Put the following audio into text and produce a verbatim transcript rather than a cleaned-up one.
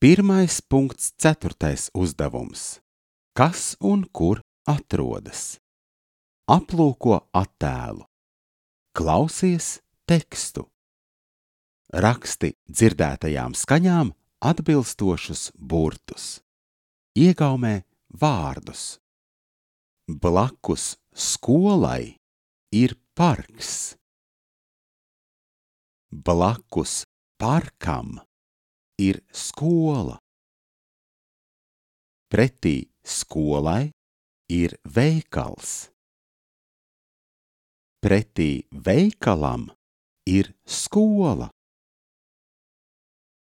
Pirmais punkts ceturtais uzdevums. Kas un kur atrodas? Aplūko attēlu. Klausies tekstu. Raksti dzirdētajām skaņām atbilstošus burtus. Iegaumē vārdus. Blakus skolai ir parks. Blakus parkam ir skola. Pretī skolai ir veikals. Pretī veikalam ir skola.